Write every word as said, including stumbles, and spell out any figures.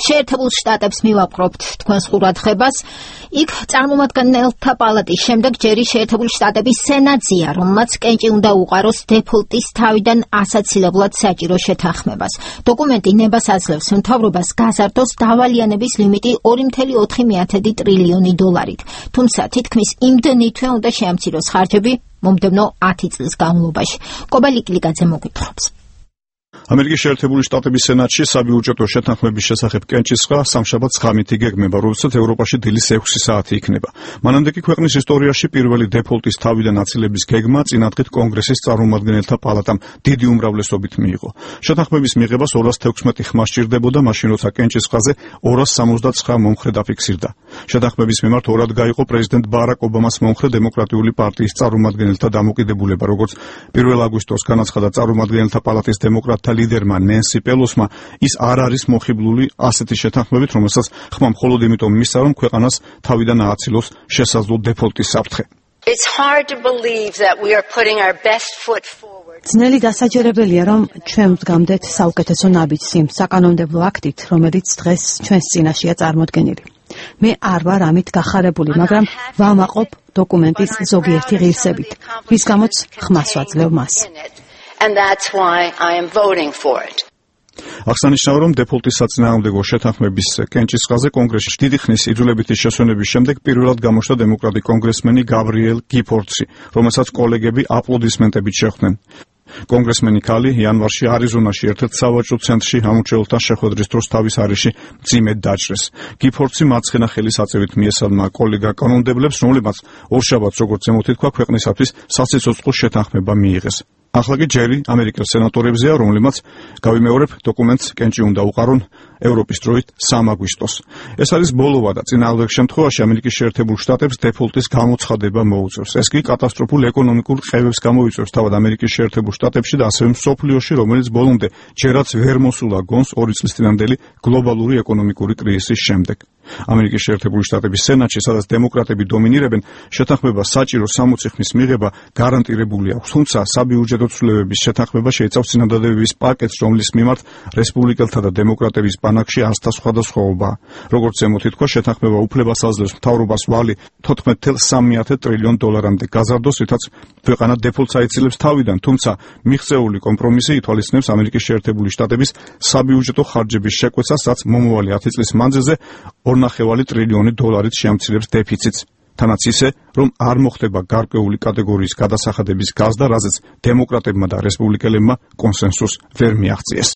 შეერთებულ შტატებს მივაპყრობთ თქვენს ყურადღებას. იქ წარმომადგენელთა პალატის შემდეგ ჯერი შეერთებული შტატების სენატზეა, რომელმაც კენჭი უნდა უყაროს დეფოლტის თავიდან ასაცილებლად საჭირო შეთანხმებას. დოკუმენტი ნებას აძლევს მთავრობას გაზარდოს დავალიანების ლიმიტი ორი წუთი ოთხი ტრილიონი დოლარით. თუმცა თითქმის იმდენი თვე უნდა შეამციროს ხარჯები მომდევნო ათი წლის განმავლობაში. კობა ლიკლიაძე მოგვითხრობს. ამერიკის შეერთებული შტატების სენატში საბიუჯეტო შეთანხმების შესახებ კენჭისყრა სამშაბათს ღამით იგეგმება, როდესაც ევროპაში დილის ექვსი საათი იქნება. მანამდე კი ქვეყნის ისტორიაში პირველი დეფოლტის თავიდან აცილების გეგმა წინადღით კონგრესის წარმომადგენელთა პალატამ დიდი უმრავლესობით მიიღო. შეთანხმების მიღებას ორას თექვსმეტი ხმა სჭირდებოდა, მაშინ როცა კენჭისყრაზე ორას სამოცდაცხრა მომხრე დაფიქსირდა. შეთანხმების მიმართ ორად გაიყო პრეზიდენტ ბარაკ ობამას მომხრე დემოკრატიული პარტიის წარმომადგენელთა დამოკიდებულება, როგორც პირველ აგვისტოს განაცხადა წარმომადგენელთა პალატის დემოკრატთა ლიდერმა ნენსი პელოსმა, ის არ არის მოხიბლული ასეთი შეთანხმებით, რომელსაც ხმა მხოლოდ იმიტომ მისცა, რომ ქვეყანას თავიდან ააცილოს შესაძლო დეფოლტის საფრთხე. It's hard to believe that we are putting our best foot forward. ძნელი დასაჯერებელია, რომ ჩვენ ვდგამდეთ საუკეთესო ნაბიჯს იმ საკანონმდებლო აქტით, რომელიც დღეს ჩვენს წინაშეა წარმოდგენილი. მე არ ვარ ამით გახარებული, მაგრამ ვამაყობ დოკუმენტის ზოგიერთი ღირსებით, რის გამოც ხმას ვაძლევ მას. And that's why I am voting for it. აღსანიშნავია, რომ დეფოლტის საწინააღმდეგო შეთანხმების კენჭისყრაზე კონგრესში დიდი ხნის იძულებითი შესვენების შემდეგ პირველად გამოჩნდა დემოკრატი კონგრესმენი გაბრიელ გიფორდსი, რომელსაც კოლეგები აპლოდისმენტებით შეხვდნენ. კონგრესმენი ქალი იანვარში არიზონაში ერთ-ერთ სავაჭრო ცენტრში ამორჩეულთა შეხვედრის დროს თავის არეში მძიმედ დაჭრეს. გიფორდსი მარცხენა ხელის აწევით მიესალმა კოლეგა კანონმდებლებს, რომლებმაც ორშაბათს, როგორც ზემოთ ითქვა, ქვეყნისათვის საცეცოცხლო შეთანხმება მიიღეს. ახლა კი ჯერი ამერიკის სენატორებზეა, რომლებმაც გავიმეორებ დოკუმენტს კენჭი უნდა უყარონ ევროპის დროით სამი აგვისტოს. ეს არის ბოლოვა და წინააღმდეგ შემთხვევაში ამერიკის შეერთებულ შტატებს დეფოლტის გამოცხადება მოუწევს. ეს კი კატასტროფულ ეკონომიკურ ყევებს გამოიწვევს თავად ამერიკის შეერთებულ შტატებში და ასევე მსოფლიოში, რომელიც ბოლომდე ჯერაც ვერ მოსულა გონს ორი წლის წინანდელი გლობალური ეკონომიკური კრიზისის შემდეგ. ამერიკის შეერთებული შტატების სენატში, სადაც დემოკრატები დომინირებენ, შეთანხმება საჭირო სამოცი ხმის მიღება გარანტირებული აქვს. თუმცა საბიუჯეტო ცვლილებების შეთანხმება შეიცავს წინადადებების პაკეტს, რომლის მიმართ რესპუბლიკელთა და დემოკრატების ბანაკში ასთა სხვადასხვაობაა. როგორც ზემოთ ითქვა, შეთანხმება უფლებას აძლევს მთავრობას ვალი თოთხმეტი ათეული სამი ტრილიონი დოლარამდე გაზარდოს, რითაც ქვეყანა დეფოლტს აიცილებს თავიდან, თუმცა მიღწეული კომპრომისი ითვალისწინებს ამერიკის შეერთებული შტატების საბიუჯეტო ხარჯების შეკვეცას, რაც მომავალი ათი წლის მანძილზე ორ ნახევარი ტრილიონი დოლარით შეამცირებს დეფიციტს. თანაც ისე, რომ არ მოხდება გარკვეული კატეგორიის გადასახადების გაზრდა, რაზეც დემოკრატებმა და რესპუბლიკელებმა კონსენსუსს ვერ მიაღწიეს.